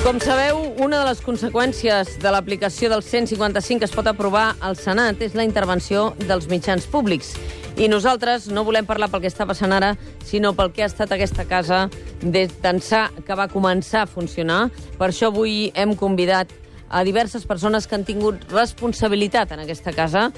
Com sabeu, una de les conseqüències de l'aplicació del 155 que es pot aprovar al Senat és la intervenció dels mitjans públics. I nosaltres no volem parlar pel que està passant ara, sinó pel que ha estat aquesta casa des d'ençà que va començar a funcionar. Per això avui hem convidat a diverses persones que han tingut responsabilitat en aquesta casa,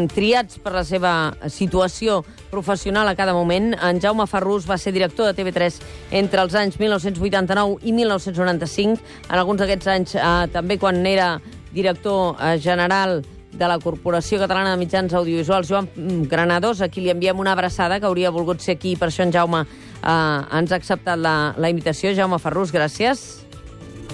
triats per la seva situació professional a cada moment. En Jaume Ferrús va ser director de TV3 entre els anys 1989 i 1995. En alguns d'aquests anys, també quan era director general de la Corporació Catalana de Mitjans Audiovisuals, Joan Granados, a qui li enviem una abraçada, que hauria volgut ser aquí, per això en Jaume ens ha acceptat la invitació. Jaume Ferrús, gràcies.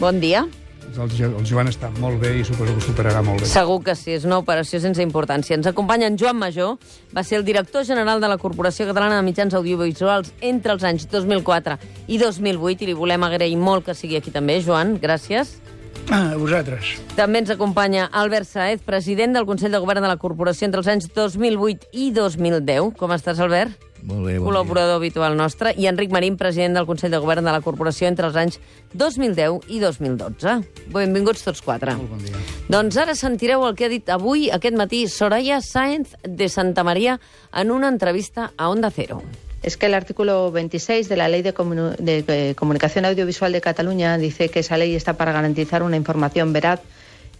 Bon dia. El Joan està molt bé i suposo que ho superarà molt bé. Segur que sí, és una operació sense importància. Ens acompanya en Joan Majó, va ser el director general de la Corporació Catalana de Mitjans Audiovisuals entre els anys 2004 i 2008, i li volem agrair molt que sigui aquí també. Joan, gràcies. A vosaltres. També ens acompanya Albert Sáez, president del Consell de Govern de la Corporació entre els anys 2008 i 2010. Com estàs, Albert? Molt bé, bon col·laborador habitual nostre. I Enric Marín, president del Consell de Govern de la Corporació entre els anys 2010 i 2012. Benvinguts tots quatre. Molt bon dia. Doncs ara sentireu el que ha dit avui, aquest matí, Soraya Sáenz de Santamaría en una entrevista a Onda Cero. Es que el artículo 26 de la Ley de Comunicación Audiovisual de Cataluña dice que esa ley está para garantizar una información veraz,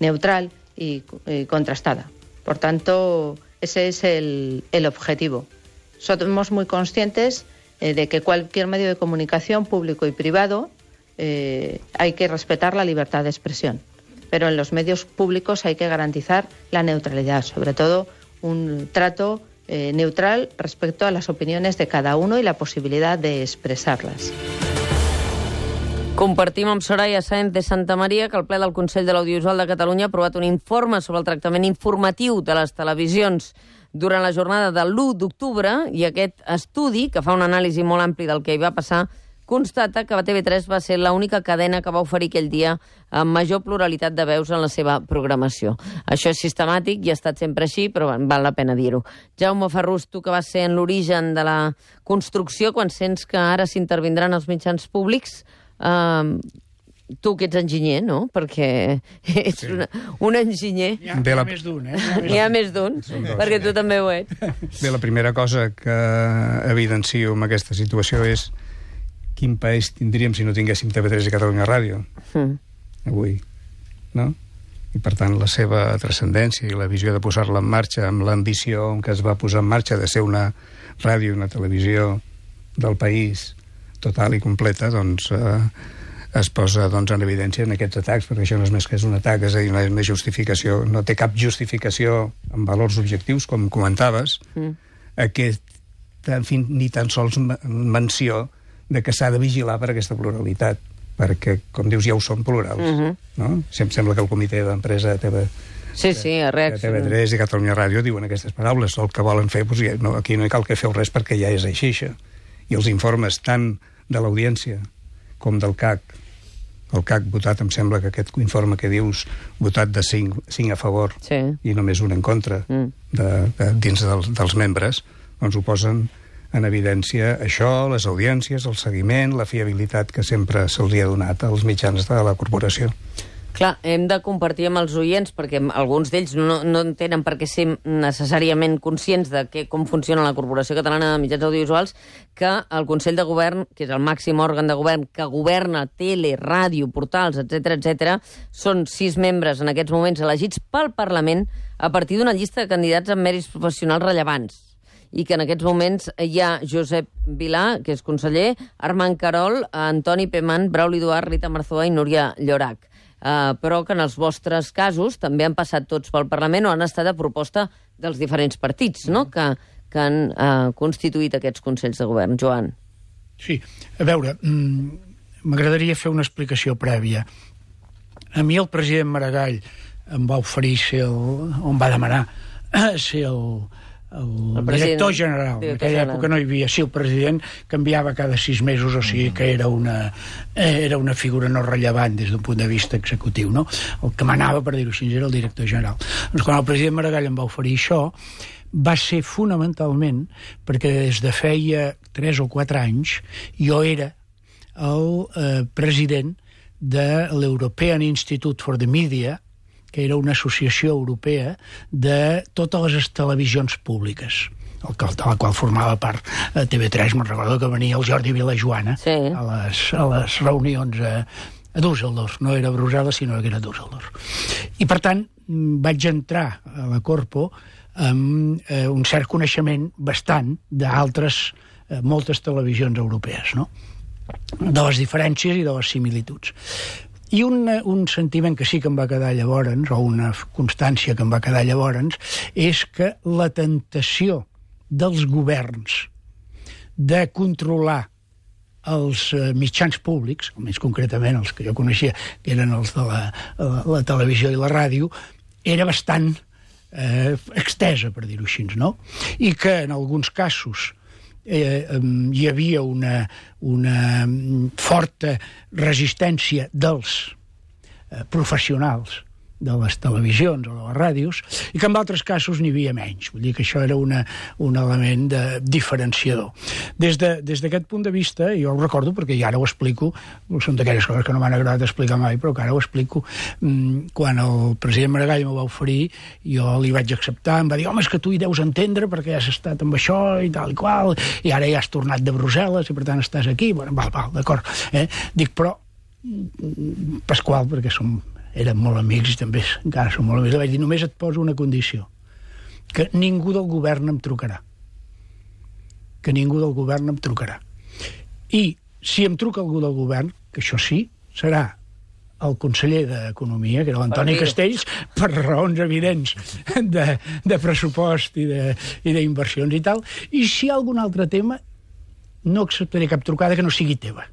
neutral y contrastada. Por tanto, ese es el objetivo. Somos muy conscientes de que cualquier medio de comunicación, público y privado, hay que respetar la libertad de expresión. Pero en los medios públicos hay que garantizar la neutralidad, sobre todo un trato neutral respecto a las opiniones de cada uno y la posibilidad de expresarlas. Compartim amb Soraya Sáenz de Santamaría que el ple del Consell de l'Audiovisual de Catalunya ha aprovat un informe sobre el tractament informatiu de les televisions durant la jornada de l'1 d'octubre, i aquest estudi, que fa una anàlisi molt ampli del que hi va passar, constata que TV3 va ser l'única cadena que va oferir aquell dia amb major pluralitat de veus en la seva programació. Això és sistemàtic i ha estat sempre així, però val la pena dir-ho. Jaume Ferrús, tu que vas ser en l'origen de la construcció, quan sents que ara s'intervindran els mitjans públics, tu que ets enginyer, no? Perquè ets un enginyer. Hi ha més d'un, Hi ha més d'un, perquè tu també ho ets. Bé, la primera cosa que evidencio amb aquesta situació és quin país tindríem si no tinguéssim TV3 i Catalunya Ràdio avui, no? I per tant la seva transcendència i la visió de posar-la en marxa amb l'ambició amb què es va posar en marxa de ser una ràdio i una televisió del país total i completa, doncs es posa en evidència en aquests atacs, perquè això no és més que és un atac, és a dir, no és més justificació, no té cap justificació en valors objectius, com comentaves, ni tan sols menció de que s'ha de vigilar per aquesta pluralitat, perquè, com dius, ja ho són plurals. No? Sembla que el comitè d'empresa de TV3 i Catalunya Ràdio diuen aquestes paraules. El que volen fer, doncs, aquí no hi cal que feu res perquè ja és així, això. I els informes tant de l'audiència com del CAC. El CAC votat, em sembla que aquest informe que dius, votat de 5 a favor i només un en contra dins dels membres, doncs ho posen en evidència això, les audiències, el seguiment, la fiabilitat que sempre se'ls ha donat als mitjans de la corporació. Clar, hem de compartir amb els oients, perquè alguns d'ells no tenen per què ser necessàriament conscients de com funciona la Corporació Catalana de Mitjans Audiovisuals, que el Consell de Govern, que és el màxim òrgan de govern que governa tele, ràdio, portals, etc., són 6 membres en aquests moments elegits pel Parlament a partir d'una llista de candidats amb mèrits professionals rellevants, i que en aquests moments hi ha Josep Vilà, que és conseller, Armand Carol, Antoni Peman, Brauli Duart, Rita Marzoa i Núria Llorach. Però que en els vostres casos també han passat tots pel Parlament o han estat a proposta dels diferents partits, no?, que han constituït aquests Consells de Govern. Joan. Sí, a veure, m'agradaria fer una explicació prèvia. A mi el president Maragall em va oferir em va demanar ser el director general. En aquella època no hi havia. Sí, el president canviava cada 6 mesos, o sigui que era una figura no rellevant des d'un punt de vista executiu, no? El que manava, per dir-ho així, era el director general. Doncs quan el president Maragall em va oferir això, va ser fonamentalment perquè des de feia 3 o 4 anys jo era el president de l'European Institute for the Media, que era una associació europea de totes les televisions públiques, de la qual formava part TV3. Me'n recordo que venia el Jordi Vilajoana a les reunions a Düsseldorf. No era a Brussel·les, sinó que era a Düsseldorf. I, per tant, vaig entrar a la Corpo amb un cert coneixement bastant d'altres, moltes televisions europees, no? De les diferències i de les similituds. I un sentiment que sí que em va quedar llavors, o una constància que em va quedar llavors, és que la tentació dels governs de controlar els mitjans públics, més concretament els que jo coneixia, que eren els de la televisió i la ràdio, era bastant extesa, per dir-ho així, no? I que en alguns casos hi havia una forta resistència dels professionals de les televisions o de les ràdios, i que en altres casos n'hi havia menys. Vull dir que això era un element diferenciador. Des d'aquest punt de vista, jo ho recordo perquè ja ara ho explico, són d'aquelles coses que no m'han agradat explicar mai, però que ara ho explico, quan el president Maragall m'ho va oferir, jo li vaig acceptar, em va dir, home, és que tu hi deus entendre perquè has estat amb això i tal i qual, i ara ja has tornat de Brussel·les i per tant estàs aquí. Bueno, val, d'acord. Dic, però Pasqual, perquè érem molt amics i també encara som molt amics, li vaig dir, només et poso una condició, que ningú del govern em trucarà. Que ningú del govern em trucarà. I si em truca algú del govern, que això sí, serà el conseller d'Economia, que era l'Antoni Castells, per raons evidents de pressupost i d'inversions i tal, i si hi ha algun altre tema, no acceptaré cap trucada que no sigui teva.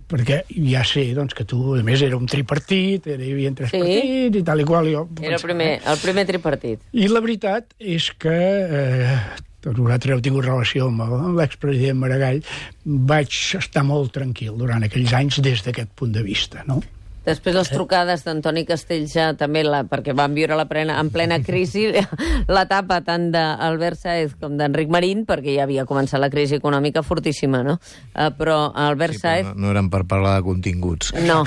Perquè ja sé, doncs, que tu, a més, era un tripartit, hi havia 3 partits i tal i qual. Era el primer tripartit. I la veritat és que tots vosaltres heu tingut relació amb l'expresident Maragall, vaig estar molt tranquil durant aquells anys des d'aquest punt de vista, no? Després les trucades d'Antoni Castells ja també, perquè van viure en plena crisi, l'etapa tant d'Albert Sáez com d'Enric Marín, perquè ja havia començat la crisi econòmica fortíssima, no? Però Albert Sáez... No eren per parlar de continguts. No,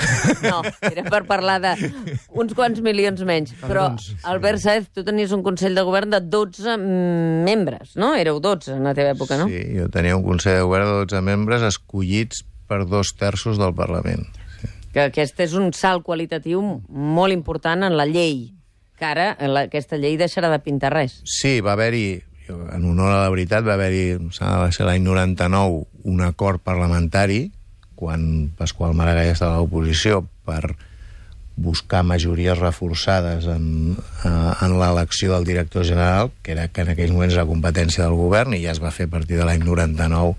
era per parlar d'uns quants milions menys. Però Albert Sáez, tu tenies un Consell de Govern de 12 membres, no? Éreu 12 en la teva època, no? Sí, jo tenia un Consell de Govern de 12 membres escollits per 2/3 del Parlament. Que aquest és un salt qualitatiu molt important en la llei, que ara aquesta llei deixarà de pintar res. Sí, va haver-hi, en honor a la veritat, va haver-hi, va ser l'any 99, un acord parlamentari, quan Pasqual Maragall estava a l'oposició, per buscar majories reforçades en l'elecció del director general, que en aquells moments era competència del govern, i ja es va fer a partir de l'any 99,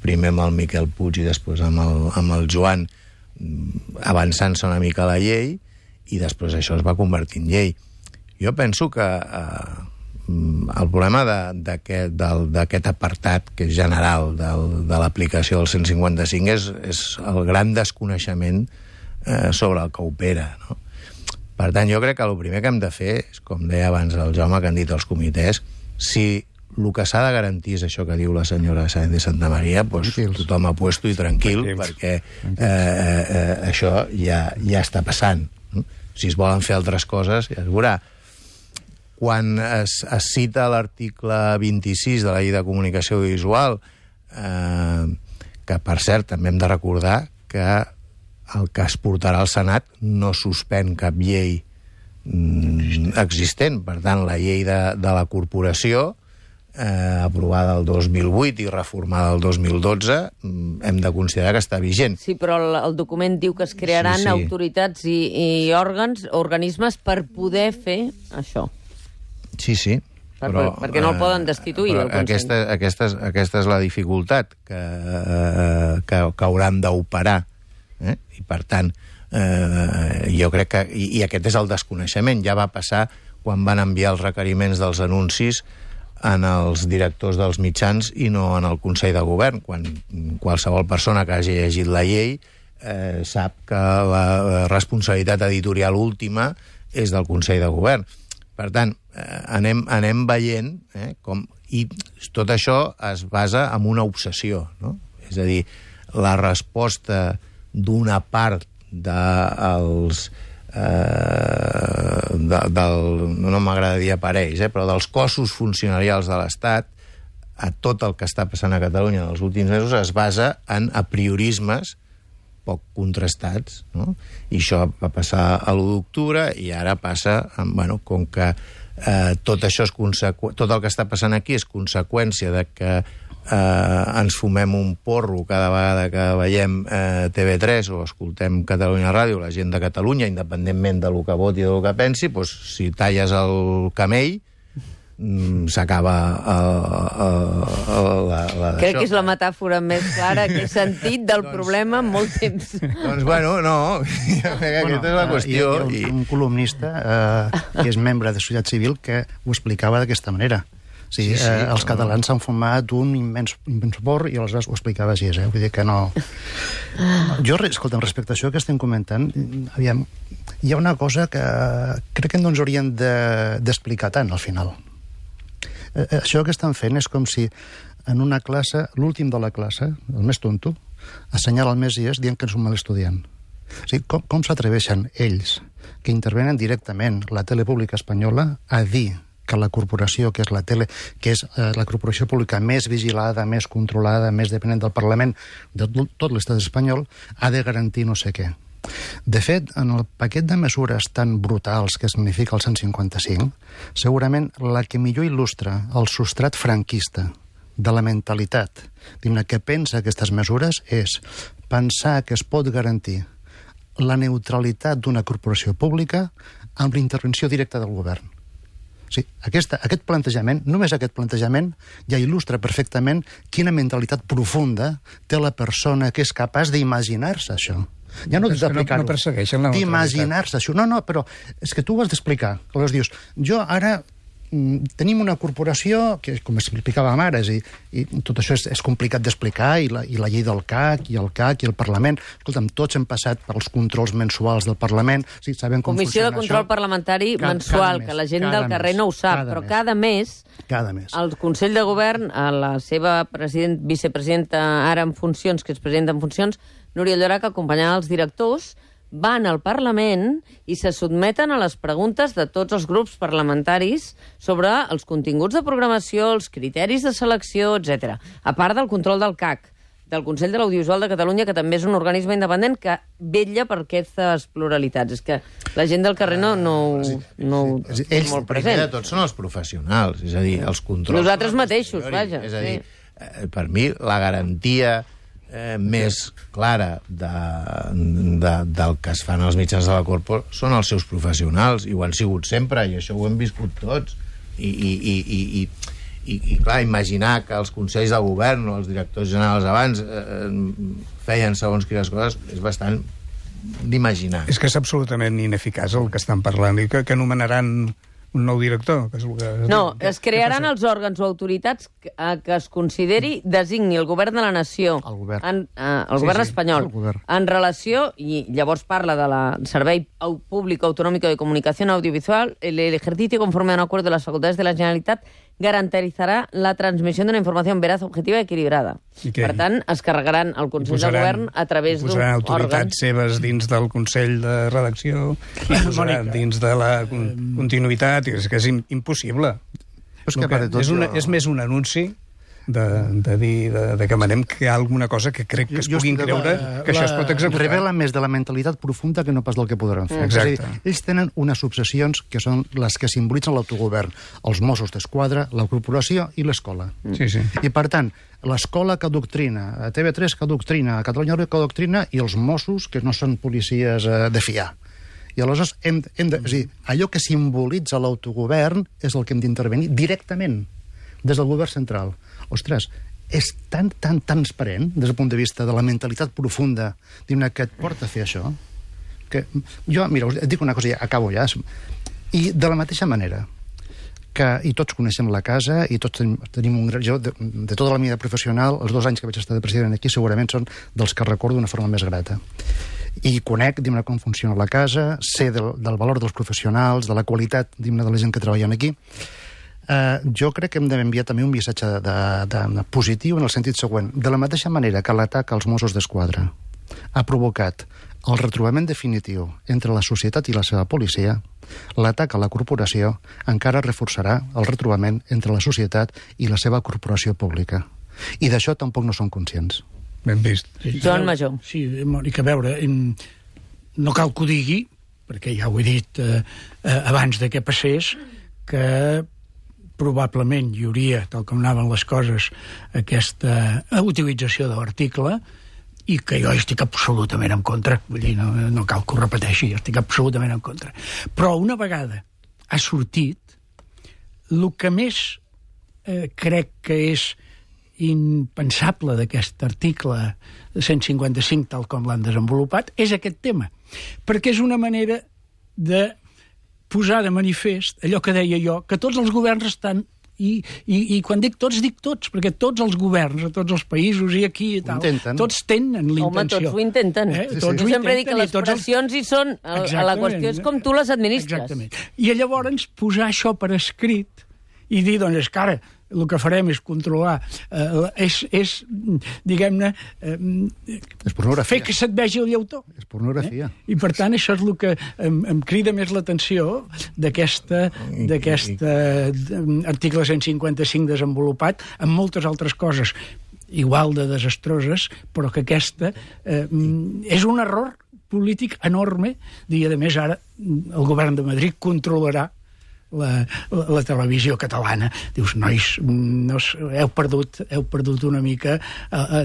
primer amb el Miquel Puig i després amb el Joan, avançant-se una mica a la llei, i després això es va convertir en llei. Jo penso que el problema d'aquest apartat, que és general, de l'aplicació del 155, és el gran desconeixement sobre el que opera, no? Per tant, jo crec que el primer que hem de fer és, com deia abans el Jaume, que han dit els comitès, si el que s'ha de garantir és això que diu la senyora Sáenz de Santamaría, doncs tothom apuesto i tranquil, perquè això ja està passant. Si es volen fer altres coses, ja es veurà. Quan es cita l'article 26 de la Llei de Comunicació Audiovisual, que, per cert, també hem de recordar que el que es portarà al Senat no suspèn cap llei existent. Per tant, la llei de la corporació, aprovada el 2008 i reformada el 2012, hem de considerar que està vigent. Sí, però el document diu que es crearan autoritats i organismes per poder fer això. Sí. Perquè no el poden destituir, el Consell. Aquesta és la dificultat que hauran d'operar. I, per tant, jo crec que... I aquest és el desconeixement. Ja va passar quan van enviar els requeriments dels anuncis en els directors dels mitjans i no en el Consell de Govern, quan qualsevol persona que hagi llegit la llei sap que la responsabilitat editorial última és del Consell de Govern. Per tant, anem veient com... I tot això es basa en una obsessió, no? És a dir, la resposta d'una part dels... no m'agrada dir aparells, però dels cossos funcionarials de l'Estat, a tot el que està passant a Catalunya en els últims mesos es basa en apriorismes poc contrastats, no? I això va passar a l'1 d'octubre i ara passa, bueno, com que tot això és tot el que està passant aquí és conseqüència de que ens fumem un porro cada vegada que veiem TV3 o escoltem Catalunya Ràdio, la gent de Catalunya, independentment del que voti o del que pensi, doncs, si talles el camell, s'acaba Crec que és la metàfora més clara que he sentit del problema en molt temps. Doncs, bueno, no, aquesta és la qüestió. Hi ha un columnista que és membre de Societat Civil que ho explicava d'aquesta manera. Sí, els catalans s'han fumat un immens porro i aleshores ho explicava així, vull dir que no... Jo, escolta, respecte a això que estem comentant, aviam, hi ha una cosa que crec que no ens haurien d'explicar tant, al final. Això que estan fent és com si en una classe, l'últim de la classe, el més tonto, assenyala el Messies dient que és un mal estudiant. O sigui, com s'atreveixen ells, que intervenen directament la tele pública espanyola, a dir que la corporació, que és la tele, que és la corporació pública més vigilada, més controlada, més dependent del Parlament de tot l'estat espanyol, ha de garantir no sé què. De fet, en el paquet de mesures tan brutals que significa el 155, segurament la que millor il·lustra el substrat franquista de la mentalitat que pensa aquestes mesures és pensar que es pot garantir la neutralitat d'una corporació pública amb l'intervenció directa del govern. Sí, aquest plantejament, només aquest plantejament, ja il·lustra perfectament quina mentalitat profunda té la persona que és capaç d'imaginar-se això. Ja no d'aplicar-ho, no persegueixen la neutralitat. D'imaginar-se això. No, però és que tu ho has d'explicar. Aleshores dius, jo ara tenim una corporació, que com explicàvem ara, i tot això és complicat d'explicar, i la llei del CAC, i el CAC, i el Parlament. Escolta'm, tots hem passat pels controls mensuals del Parlament, sí, sabem com Comissió funciona de Control això. Parlamentari mensual, que la gent del carrer no ho sap, però cada mes el Consell de Govern, a la seva vicepresidenta ara en funcions, que és presidenta en funcions, Núria Llorach, acompanyant els directors, van al Parlament i se sotmeten a les preguntes de tots els grups parlamentaris sobre els continguts de programació, els criteris de selecció, etc. A part del control del CAC, del Consell de l'Audiovisual de Catalunya, que també és un organisme independent que vetlla per aquestes pluralitats. És que la gent del carrer no té molt present. Primer de tot són els professionals, és a dir, els controls... Nosaltres mateixos, vaja. És a dir, per mi, la garantia més clara del que es fan els mitjans de la corpo són els seus professionals, i ho han sigut sempre, i això ho hem viscut tots. I clar, imaginar que els consells de govern o els directors generals abans feien segons quines coses és bastant d'imaginar. És que és absolutament ineficaç el que estan parlant, i que nomenaran un nou director. Que és el que es crearan els òrgans o autoritats que es consideri designi el govern de la nació, el govern espanyol, en relació, i llavors parla de la Servei Públic Autonòmic de Comunicació Audiovisual, el ejercicio conforme a un acuerdo de las facultades de la Generalitat garantizará la transmisión de una información veraz, objetiva y equilibrada. Per tant, es carregaran el Consell de Govern a través d'un òrgan. Posaran autoritats seves dins del Consell de Redacció, i posaran dins de la continuïtat, és que és impossible. És més un anunci de dir que demanem que hi ha alguna cosa que crec que es puguin creure que això es pot executar. Revela més de la mentalitat profunda que no pas del que podran fer. Exacte. És a dir, ells tenen unes obsessions que són les que simbolitzen l'autogovern, els Mossos d'Esquadra, la corporació i l'escola. Sí. I per tant, l'escola que adoctrina, TV3 que adoctrina, Catalunya Ràdio que adoctrina, i els Mossos que no són policies de fiar. I aleshores allò que simbolitza l'autogovern és el que hem d'intervenir directament des del govern central. Ostres, és tan transparent des del punt de vista de la mentalitat profunda que et porta a fer això, que jo, mira, us dic una cosa, acabo ja, i de la mateixa manera que, i tots coneixem la casa, i tots tenim un... Jo, de tota la vida professional, els 2 anys que vaig estar de president aquí, segurament són dels que recordo d'una forma més grata. I conec, com funciona la casa, sé del valor dels professionals, de la qualitat, de la gent que treballen aquí. Jo crec que hem d'enviar també un missatge positiu en el sentit següent. De la mateixa manera que l'atac als Mossos d'Esquadra ha provocat el retrobament definitiu entre la societat i la seva policia, l'atac a la corporació encara reforçarà el retrobament entre la societat i la seva corporació pública. I d'això tampoc no són conscients. Ben vist. Joan Majó. Sí, Mònica, a veure, no cal que ho digui, perquè ja ho he dit abans de que passés, que probablement hi hauria, tal com anaven les coses, aquesta utilització de l'article, i que jo estic absolutament en contra. Vull dir, no cal que ho repeteixi, jo estic absolutament en contra. Però una vegada ha sortit, el que més crec que és impensable d'aquest article 155, tal com l'han desenvolupat, és aquest tema. Perquè és una manera de posar de manifest allò que deia jo, que tots els governs estan i quan dic tots, perquè tots els governs, a tots els països i aquí i tal, tots tenen l'intenció. Home, tots ho intenten. Tots ho sempre dic que les pressions hi són. La qüestió és com tu les administres. Exactament. I llavors posar això per escrit i dir, doncs, és que ara el que farem és controlar, és diguem-ne, fer que se't vegi el llautó. És pornografia. I per tant això és el que em crida més l'atenció d'aquest article 155 desenvolupat, amb moltes altres coses igual de desastroses, però que aquesta és un error polític enorme, i a més ara el govern de Madrid controlarà la televisió catalana. Dius, nois, heu perdut una mica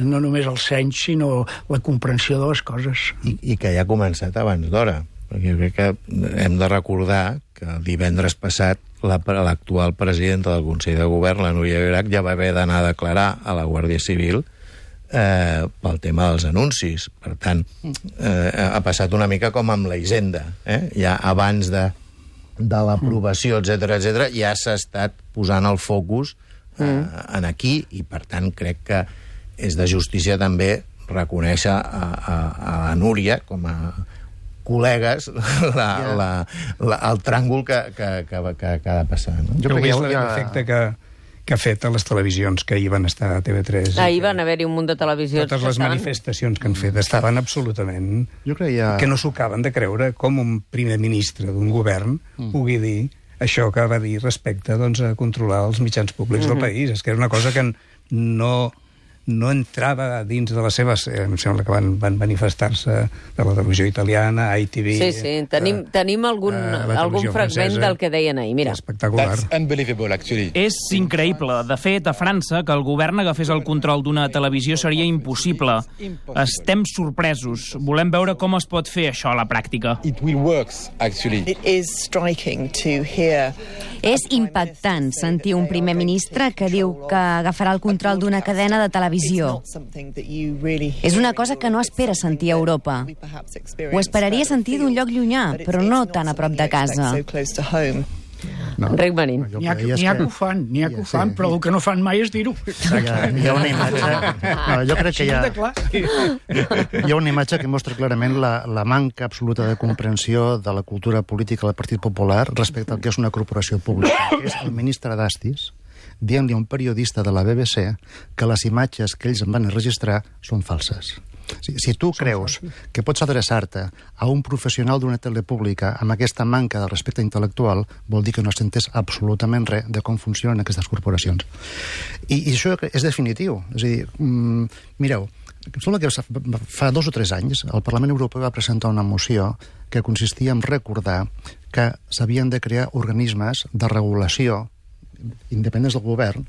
no només el seny, sinó la comprensió de les coses. I que ja ha començat abans d'hora, perquè jo crec que hem de recordar que el divendres passat l'actual presidenta del Consell de Govern, la Núria Llorach, ja va haver d'anar a declarar a la Guàrdia Civil pel tema dels anuncis. Per tant, ha passat una mica com amb la Hisenda. Ja abans de l'aprovació, etc., ja s'ha estat posant el focus en aquí, i per tant crec que és de justícia també reconèixer a la Núria com a col·legues el tràngol que ha de passar. No? Jo crec que és l'efecte que ha fet a les televisions que ahir van estar a TV3. Ahir van haver-hi un munt de televisions. Totes les manifestacions que han fet estaven absolutament... Jo creia... que no s'ho acaben de creure com un primer ministre d'un govern pugui dir això que va dir respecte a controlar els mitjans públics del país. És que era una cosa que no entrava dins de les seves... em sembla que van manifestar-se de la televisió italiana, ITV... Sí, tenim algun fragment francesa, del que deien ahir, mira. Espectacular. És increïble. De fet, a França, que el govern agafés el control d'una televisió seria impossible. Estem sorpresos. Volem veure com es pot fer això a la pràctica. És impactant sentir un primer ministre que diu que agafarà el control d'una cadena de televisió. És una cosa que no espera sentir a Europa. Ho esperaria sentir d'un lloc llunyà, però no tan a prop de casa. Enric Marín. N'hi ha que ho fan, però el que no fan mai és dir-ho. Hi ha una imatge... Jo crec que hi ha una imatge que mostra clarament la manca absoluta de comprensió de la cultura política del Partit Popular respecte al que és una corporació pública, que és el ministre d'Astis, dient-li a un periodista de la BBC que les imatges que ells van registrar són falses. Si tu creus que pots adreçar-te a un professional d'una tele pública amb aquesta manca de respecte intel·lectual, vol dir que no has entès absolutament res de com funcionen aquestes corporacions. I això és definitiu. És a dir, mireu, em sembla que fa 2 o 3 anys el Parlament Europeu va presentar una moció que consistia en recordar que s'havien de crear organismes de regulació independents del govern,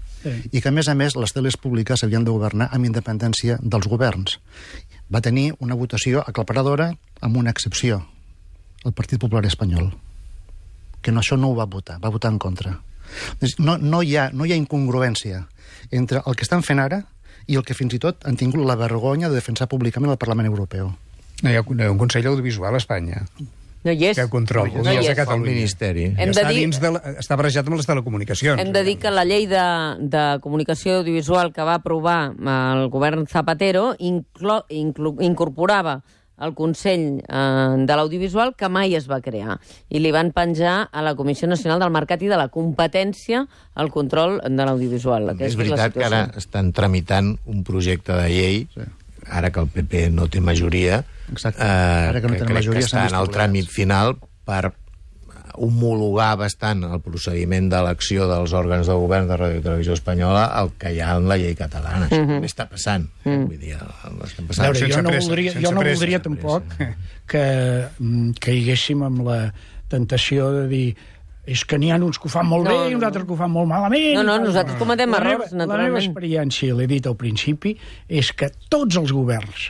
i que, a més, les teles públiques havien de governar amb independència dels governs. Va tenir una votació aclaparadora amb una excepció, el Partit Popular Espanyol, que això no ho va votar en contra. No hi ha incongruència entre el que estan fent ara i el que fins i tot han tingut la vergonya de defensar públicament al Parlament Europeu. No hi ha un Consell Audiovisual a Espanya. No hi és. Que control. No hi és. El Ministeri. Està barrejat amb les telecomunicacions. Hem de dir que la llei de comunicació audiovisual que va aprovar el govern Zapatero incorporava el Consell de l'Audiovisual, que mai es va crear, i li van penjar a la Comissió Nacional del Mercat i de la Competència el control de l'audiovisual. És veritat que ara estan tramitant un projecte de llei ara que el PP no té majoria, ara que no té majoria, que està en el tràmit final per homologar bastant el procediment d'elecció dels òrgans de govern de Ràdio i Televisió Espanyola el que hi ha en la llei catalana. Això també està passant. Vull dir, estem passant. Veure, jo no voldria tampoc que caiguéssim amb la tentació de dir és que n'hi ha uns que ho fan molt bé i uns altres que ho fan molt malament. No, nosaltres cometem errors, naturalment. La meva experiència, l'he dit al principi, és que tots els governs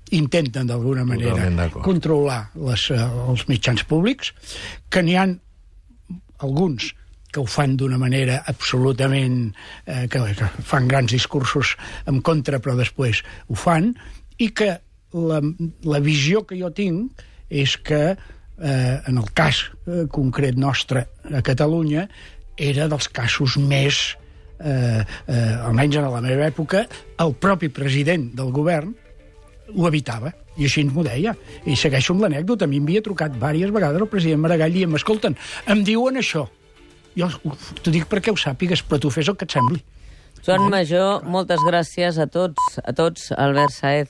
intenten d'alguna manera controlar els mitjans públics, que n'hi ha alguns que ho fan d'una manera absolutament... que fan grans discursos en contra, però després ho fan, i que la visió que jo tinc és que, en el cas concret nostre a Catalunya, era dels casos més, almenys en la meva època, el propi president del govern ho evitava, i així ens m'ho deia. I segueixo amb l'anècdota. A mi m'havia trucat diverses vegades el president Maragall i escolten, em diuen això. Jo t'ho dic perquè ho sàpigues, però tu fes el que et sembli. Joan Majó, moltes gràcies a tots, Albert Sáez.